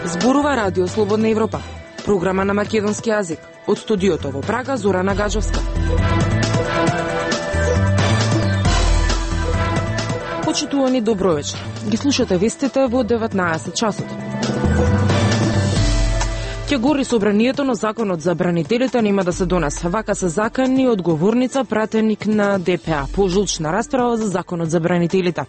Зборува Радио Слободна Европа, програма на македонски јазик. Од студиото во Прага, Зорана Гаджовска. Почитувани, добро вечер. Ги слушате вестите во 19 часот. Ќе гори собранието, но законот за бранителите нема да се донесе. Вака се закани одговорница, пратеник на ДПА, по жолчна расправа за законот за бранителите.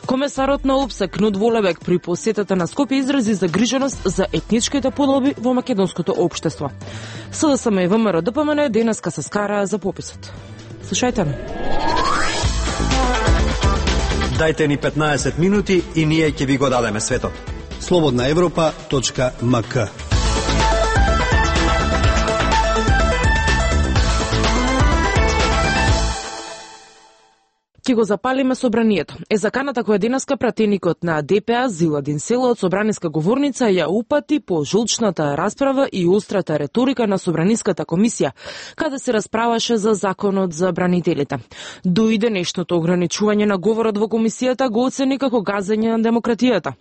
Комесарот на ОПСЕ Кнут Волебек при посетата на Скопје изрази загриженост за етничките подоби во македонското општество. СДСМ и ВМРО ДПМН денеска се скараа за пописот. Слушајте ме. Дајте ни 15 минути и ние ќе ви го дадеме светот. slobodnaevropa.mk. Ќе го запалиме собранието. Заканата која денеска пратеникот на ДПА Зиладин Села од собраниска говорница ја упати по жолчната расправа и острата реторика на собраниската комисија, каде се расправаше за законот за бранителите. Дојде нешното ограничување на говорот во комисијата го оцени како газење на демократијата.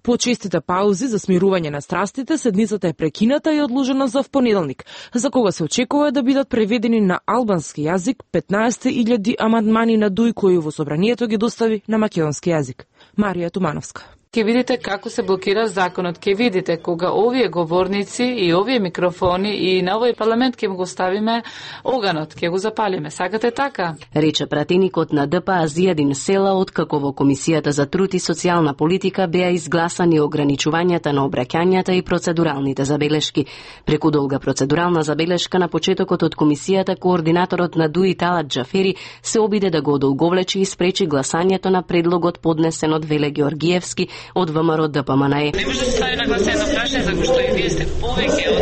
По честите паузи за смирување на страстите, седницата е прекината и одложена за понеделник, за кога се очекува да бидат преведени на албански јазик 15.000 амандмани на ДУИ кои во собранието ги достави на македонски јазик. Марија Тумановска. Ке видите како се блокира законот, ке видите кога овие говорници и овие микрофони и на овој парламент ке го ставиме оганот, ке го запалиме. Сакате така? Рече пратеникот на ДПА Зијадин Села откако во Комисијата за труд и социјална политика беа изгласани ограничувањата на обраќањата и процедуралните забелешки. Преку долга процедурална забелешка на почетокот од Комисијата, координаторот на ДУИ Талат Џафери се обиде да го одолговлечи и спречи гласањето на предлогот поднесен од Веле Георгиевски од ВМРО ДПМН. Не може да стави на гласање едно прашање, зашто и вие сте повеќе од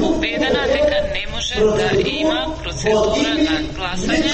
убедена дека не може да има процедура на гласање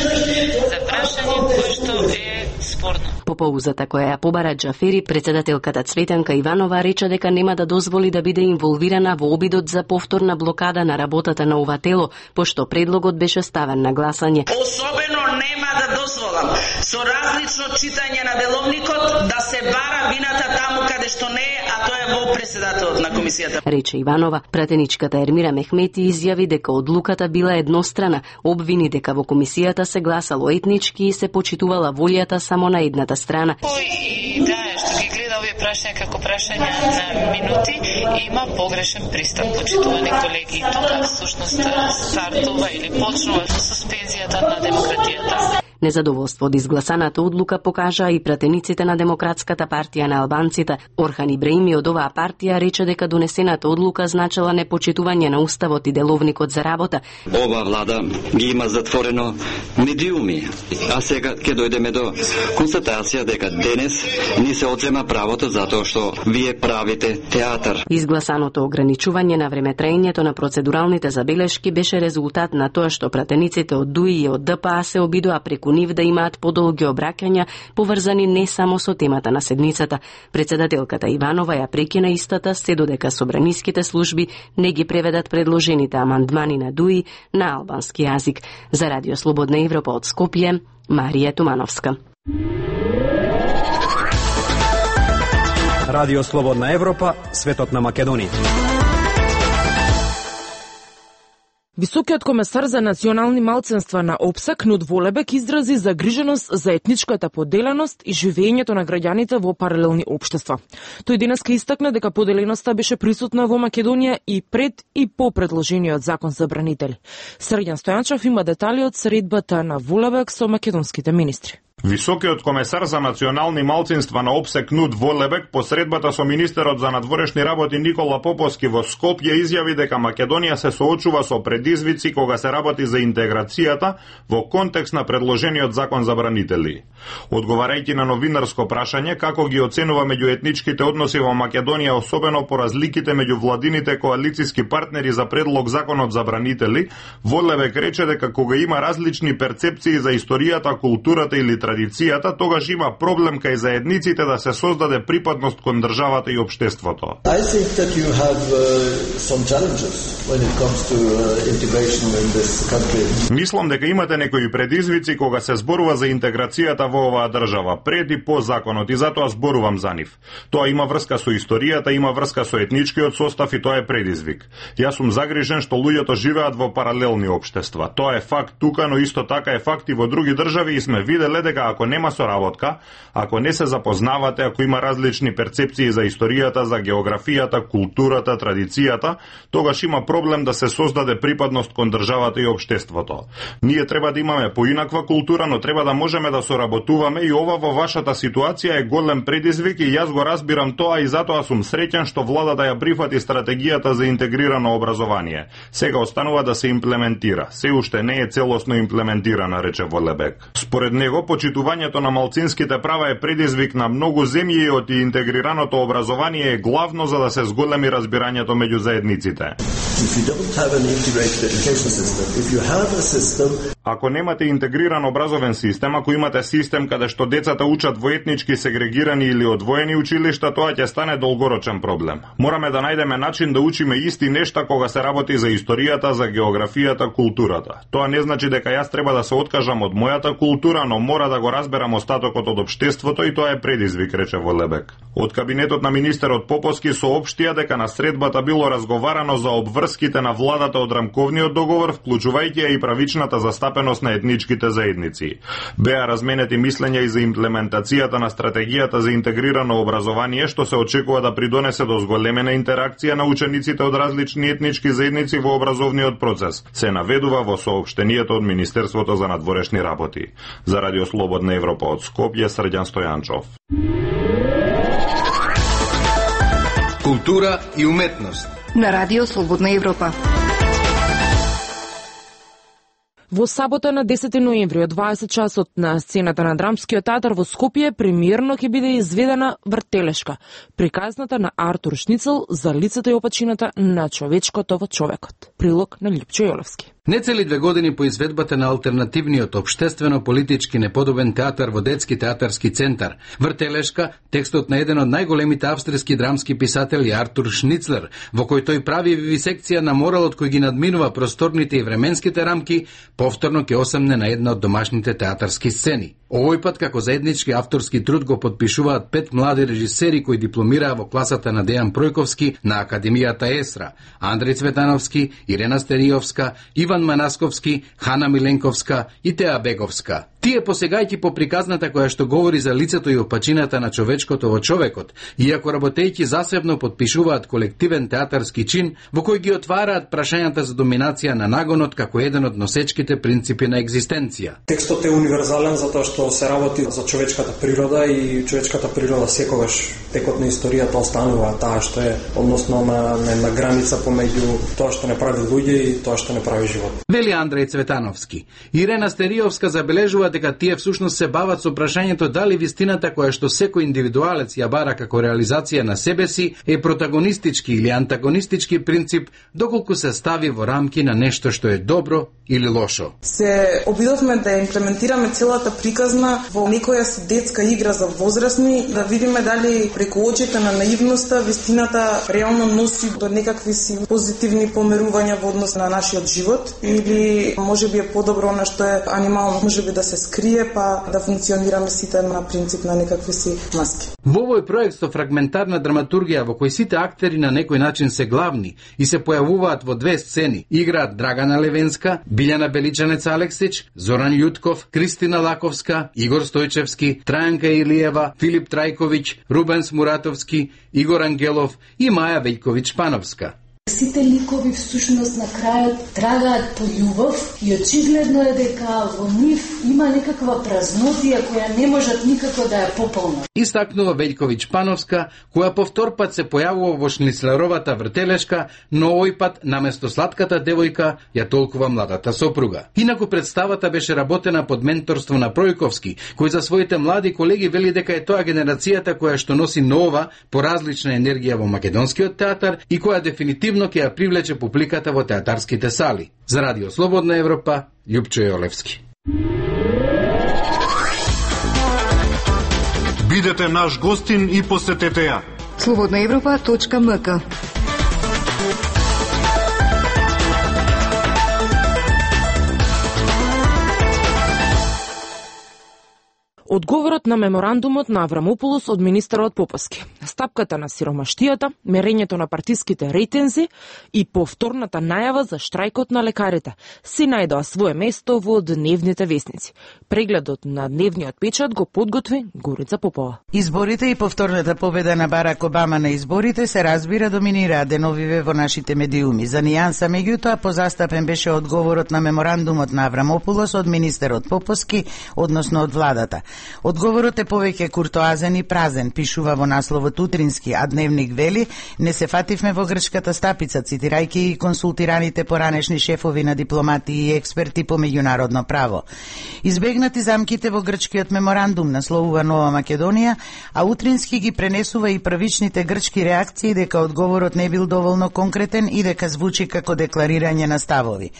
за прашање кое што е спорно. По поузата која ја побара Џафери, председателката Цветанка Иванова рече дека нема да дозволи да биде инволвирана во обидот за повторна блокада на работата на ова тело, пошто предлогот беше ставен на гласање. Особено нема да дозволам со различно читање на деловникот да се бара вината таму каде што не е, а тоа е во председателот на комисијата. Рече Иванова. Пратеничката Ермира Мехмети изјави дека одлуката била еднострана, обвини дека во комисијата се гласало етнички и се почитувала волјата само на едната страна. Кој што ги гледа овие прашања како прашања на минути, има погрешен пристап, почитувани колеги. Тука всушност стартува или почнува со суспензијата на демократијата. Незадоволство од изгласаната одлука покажа и пратениците на Демократската партија на албанците. Орхан Ибраими од оваа партија рече дека донесената одлука значела непочитување на уставот и деловникот за работа. Ова влада ги има затворено медиуми, а сега ќе дојдеме до констатација дека денес ни се одзема правото затоа што вие правите театар. Изгласаното ограничување на времетраењето на процедуралните забелешки беше резултат на тоа што пратениците од ДУИ и од ДПА се обидоа преку нив да имаат подолги обраќања поврзани не само со темата на седницата. Председателката Иванова ја прекина истата се додека собраниските служби не ги преведат предложените амандмани на ДУИ на албански јазик. За Радио Слободна Европа од Скопје, Марија Тумановска. Радио Слободна Европа, светот на Македонија. Високиот комесар за национални малцинства на ОПСЕ Кнут Волебек изрази загриженост за етничката поделеност и живеењето на граѓаните во паралелни општества. Тој денеска истакна дека поделеноста беше присутна во Македонија и пред и по предложениот закон за бранители. Срđan Стојанчев има детали од средбата на Волебек со македонските министри. Високиот комесар за национални малцинства на ОПСЕ Кнут Волебек по средбата со министерот за надворешни работи Никола Поповски во Скопје изјави дека Македонија се соочува со предизвици кога се работи за интеграцијата во контекст на предложениот закон за бранители. Одговарајќи на новинарско прашање како ги оценува меѓуетничките односи во Македонија, особено по разликите меѓу владините коалициски партнери за предлог законот за бранители, Волебек рече дека кога има различни перцепции за историјата, културата и литературата традицијата, тогаш има проблем кај заедниците да се создаде припадност кон државата и општеството. I think that you have some challenges when it comes to integration in this country. Мислам дека имате некои предизвици кога се зборува за интеграцијата во оваа држава, пред и по законот, и затоа зборувам за нив. Тоа има врска со историјата, има врска со етничкиот состав и тоа е предизвик. Јас сум загрижен што луѓето живеат во паралелни општества. Тоа е факт тука, но исто така е факт и во други држави и сме виделе дека ако нема соработка, ако не се запознавате, ако има различни перцепции за историјата, за географијата, културата, традицијата, тогаш има проблем да се создаде припадност кон државата и општеството. Ние треба да имаме поинаква култура, но треба да можеме да соработуваме и ова во вашата ситуација е голем предизвик и јас го разбирам тоа и затоа сум среќен што владата ја прифати стратегијата за интегрирано образование. Сега останува да се имплементира. Се уште не е целосно имплементирана, рече Волебек. Според него, почитувањето на малцинските права е предизвик на многу земји и од интегрираното образование е главно за да се зголеми разбирањето меѓу заедниците. Ако немате интегриран образовен систем, ако имате систем каде што децата учат во етнички сегрегирани или одвоени училишта, тоа ќе стане долгорочен проблем. Мораме да најдеме начин да учиме исти нешта кога се работи за историјата, за географијата, културата. Тоа не значи дека јас треба да се откажам од мојата култура, но мора да го разберам остатокот од општеството и тоа е предизвик, рече Волебек. Од кабинетот на министерот Поповски соопштија дека на средбата било разговарано за обврските на владата од рамковниот договор, вклучувајќи и правичната застапеност на етничките заедници. Беа разменети мислења и за имплементацијата на стратегијата за интегрирано образование, што се очекува да придонесе до зголемена интеракција на учениците од различни етнички заедници во образовниот процес, се наведува во соопштението од Министерството за надворешни работи. За Радио Слободна Европа од Скопје, Срđan Стојанчов. Култура и уметност на Радио Слободна Европа. Во сабота на 10 ноември од 20 часот на сцената на Драмскиот театар во Скопје премиерно ќе биде изведена Вртелешка, приказната на Артур Шницел за лицето и опачината на човечкото во човекот. Прилог на Лјупчо Јолевски. Нецели 2 години по изведбата на алтернативниот општествено-политички неподобен театар во Детски театарски центар Вртелешка, текстот на еден од најголемите австријски драмски писатели Артур Шницлер, во кој тој прави вивисекција на моралот кој ги надминува просторните и временските рамки, повторно ќе осамне на една од домашните театарски сцени. Овој пат како заеднички авторски труд го подпишуваат 5 млади режисери кои дипломираа во класата на Дејан Пројковски на Академијата ЕСРА: Андреј Цветановски, Ирена Стериовска, Иван Манасковски, Хана Миленковска и Теа Беговска. Тие посегајќи по приказната која што говори за лицето и опачината на човечкото во човекот, иако работејќи засебно подпишуваат колективен театарски чин во кој ги отвараат прашањата за доминација на нагонот како еден од носечките принципи на екзистенција. Текстот е универзален затоа што се работи за човечката природа и човечката природа секогаш текот на историјата останува таа што е односно на граница помеѓу тоа што не прави луѓе и тоа што не прави живот. Вели Андреј Цветановски. Ирена Стериовска забележува дека тие всушност се бават со прашањето дали вистината која што секој индивидуалец ја бара како реализација на себе си е протагонистички или антагонистички принцип, доколку се стави во рамки на нешто што е добро или лошо. Се обидовме да имплементираме целата приказна во некоја си детска игра за возрастни, да видиме дали преку очите на наивноста вистината реално носи до некакви си позитивни померувања во однос на нашиот живот, или можеби е подобро она што е анимално, можеби да се скрие па да функционираме сите на принцип на некакви си маски. Во овој проект со фрагментарна драматургија во кој сите актери на некој начин се главни и се појавуваат во 2 сцени, играат Драгана Левенска, Билјана Беличанец Алексич, Зоран Јутков, Кристина Лаковска, Игор Стојчевски, Трајанка Илиева, Филип Трајковиќ, Рубен Смуратовски, Игор Ангелов и Маја Вејковиќ Пановска. Сите ликови всушност на крајот трагаат по љубов и очигледно е дека во нив има некаква празнотија која не можат никако да ја пополнат. Истакнува Вејковиќ Пановска, која по втор пат се појавува во Шницлеровата Вртелешка, но овој пат наместо сладката девојка ја толкува младата сопруга. Инаку представата беше работена под менторство на Пројковски, кој за своите млади колеги вели дека е тоа генерацијата која што носи нова, поразлична енергија во македонскиот театар и која дефинитивно ќе ја привлече публиката во театарските сали. За Радио Слободна Европа, Лјупчо Јолевски. Бидете наш гостин и посетете ја. slobodnaevropa.mk. Одговорот на меморандумот на Аврамополос од министерот Поповски, стапката на сиромаштијата, мерењето на партиските рейтинзи и повторната најава за штрајкот на лекарите си најдоа свое место во дневните весници. Прегледот на дневниот печат го подготви Горица Попова. Изборите и повторната победа на Барак Обама на изборите се разбира доминираа деновиве во нашите медиуми. За нијанса меѓутоа позастапен беше одговорот на меморандумот на Аврамополос од министерот Поповски, односно од владата. Одговорот е повеќе куртоазен и празен, пишува во насловот Утрински, а Дневник вели: не се фативме во грчката стапица, цитирајќи и консултираните поранешни шефови на дипломати и експерти по меѓународно право. Избегнати замките во грчкиот меморандум, насловува Нова Македонија, а Утрински ги пренесува и првичните грчки реакции дека одговорот не бил доволно конкретен и дека звучи како декларирање на ставови.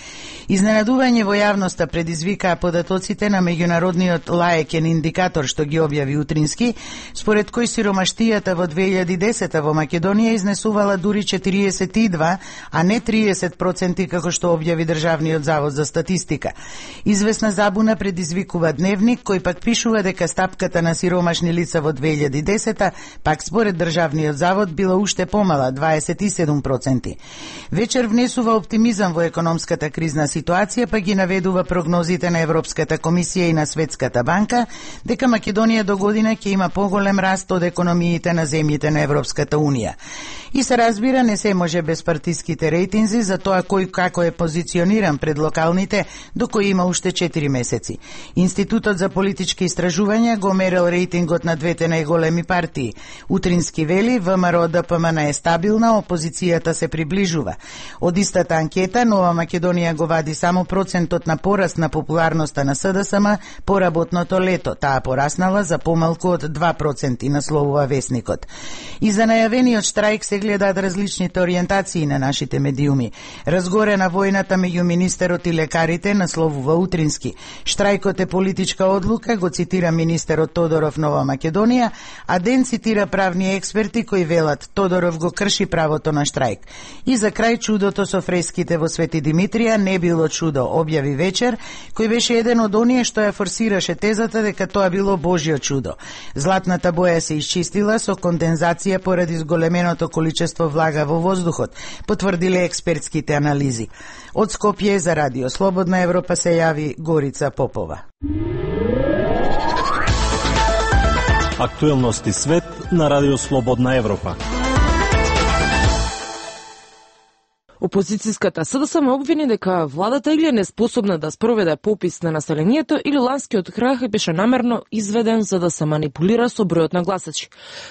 Изненадување во јавноста предизвикаа податоците на меѓународниот лаекен индикатор што ги објави Утрински, според кој сиромаштијата во 2010 во Македонија изнесувала дури 42, а не 30% како што објави Државниот завод за статистика. Известна забуна предизвикува Дневник, кој пак пишува дека стапката на сиромашни лица во 2010 пак според Државниот завод била уште помала, 27%. Вечер внесува оптимизам во економската кризна ситуација, па ги наведува прогнозите на Европската комисија и на Светската банка дека Македонија до година ќе има поголем раст од економиите на земјите на Европската Унија. И се разбира, не се може без партиските рейтинзи за тоа кој како е позициониран пред локалните, до кој има уште 4 месеци. Институтот за политички истражувања го мерил рейтингот на двете најголеми партии. Утрински вели: ВМРО ДПМН е стабилна, опозицијата се приближува. Од истата анкета Нова Македонија го вади само процентот на пораст на популарноста на СДСМ по работното лето. Таа пораснала за помалку од 2%, насловува Весникот. И за најавениот штрајк се гледаат различните ориентации на нашите медиуми. Разгорена војната меѓу министерот и лекарите, насловува Утрински. Штрајкот е политичка одлука, го цитира министерот Тодоров Нова Македонија, а Ден цитира правни експерти кои велат Тодоров го крши правото на штрајк. И за крај чудото со фреските во Свети Димитрија не било чудо, објави Вечер, кој беше еден од оние што ја форсираше тезата дека тоа било Божјо чудо. Златната боја се исчистила со кондензација поради зголеменото количество влага во воздухот, потврдиле експертските анализи. Од Скопје за Радио Слободна Европа се јави Горица Попова. Актуелности свет на Радио Слободна Европа. Опозицијската СДСМ обвини дека владата или е неспособна да спроведе попис на населението или ланскиот крах беше намерно изведен за да се манипулира со бројот на гласачи.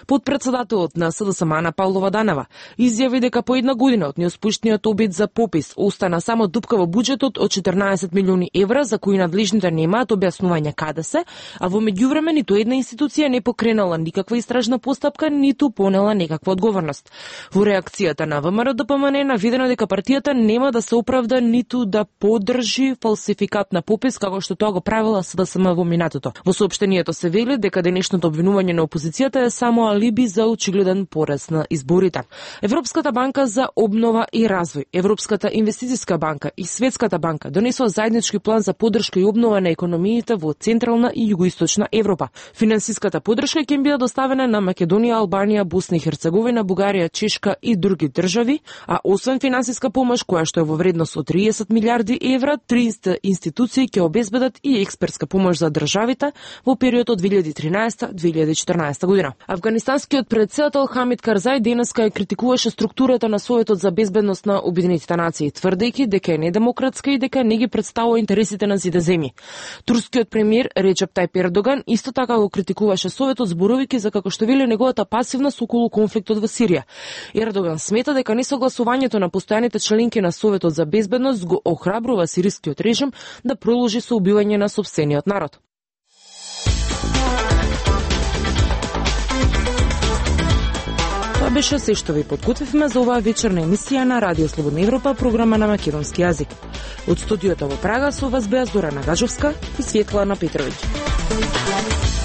Подпредседателот на СДСМ Ана Павлова Данева изјави дека по една година од неуспешниот обид за попис остана само дупка во буџетот од 14 милиони евра за кои надлежните немаат објаснување каде се, а во меѓувреме ниту една институција не покренала никаква истражна постапка, ниту понела некаква одговорност. Во реакцијата на ВМРО ДПМН е наведено дека партијата нема да се оправда ниту да поддржи фалсификат на попис како што тоа го правила СДСМ во минатото. Во соопштението се вели дека денешното обвинување на опозицијата е само алиби за очигледен порез на изборите. Европската банка за обнова и развој, Европската инвестицијска банка и Светската банка донесоа заеднички план за поддршка и обнова на економиите во Централна и Југоисточна Европа. Финансиската поддршка ќе им биде доставена на Македонија, Албанија, Босна и Херцеговина, Бугарија, Чешка и други држави, а освен финансиска помош која што е во вредност од 30 милиарди евра, 30 институции ќе обезбедат и експертска помош за државите во периодот од 2013-2014 година. Афганистанскиот претседател Хамид Карзај денеска ја критикуваше структурата на Советот за безбедност на Обединетите нации, тврдејќи дека е недемократска и дека не ги представува интересите на сите земји. Турскиот премиер Реджеп Тајип Ердоган исто така го критикуваше Советот, зборувајќи за како што вели неговата пасивност околу конфликтот во Сирија. Ердоган смета дека несогласувањето на постојаните членки на Советот за безбедност го охрабрува сирискиот режим да продолжи со убивање на сопствениот народ. Тоа беше се што ви подготвивме за оваа вечерна емисија на Радио Слободна Европа, програма на македонски јазик. Од студиото во Прага со вас беа Зорана Гажовска и Светлана Петровиќ.